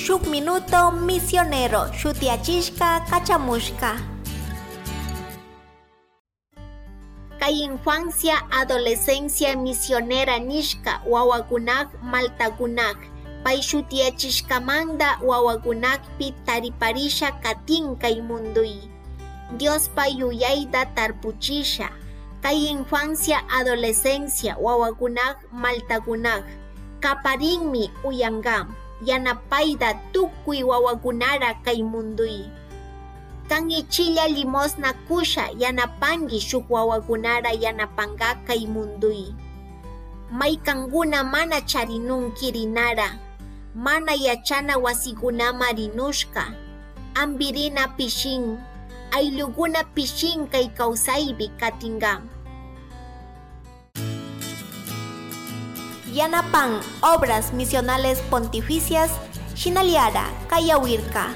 Shuk Minuto Misionero shutiyachishka kachamushka. Kay infancia adolescencia misionera nishka wawakunak maltakunak pay shutiyachishkamanta wawakunakpi tariparisha katin kay munduy. Diospa yuyayta tarpuchisha. Kay infancia adolescencia wawakunak maltakunak kaparinmi uyankam yanapayta tukuy wawakunara kay munduy. Kan ichilla limosna kusha yanapanki shuk wawakunara yanapanka kay munduy. Maykankuna mana charinun kirinara, mana yachana wasikunama rinushka, ampirina pishin, ayllukuna pishin kay kawsaypi katinka. Yanapan Obras Misionales Pontificias, Shinaliara, Kayawirka.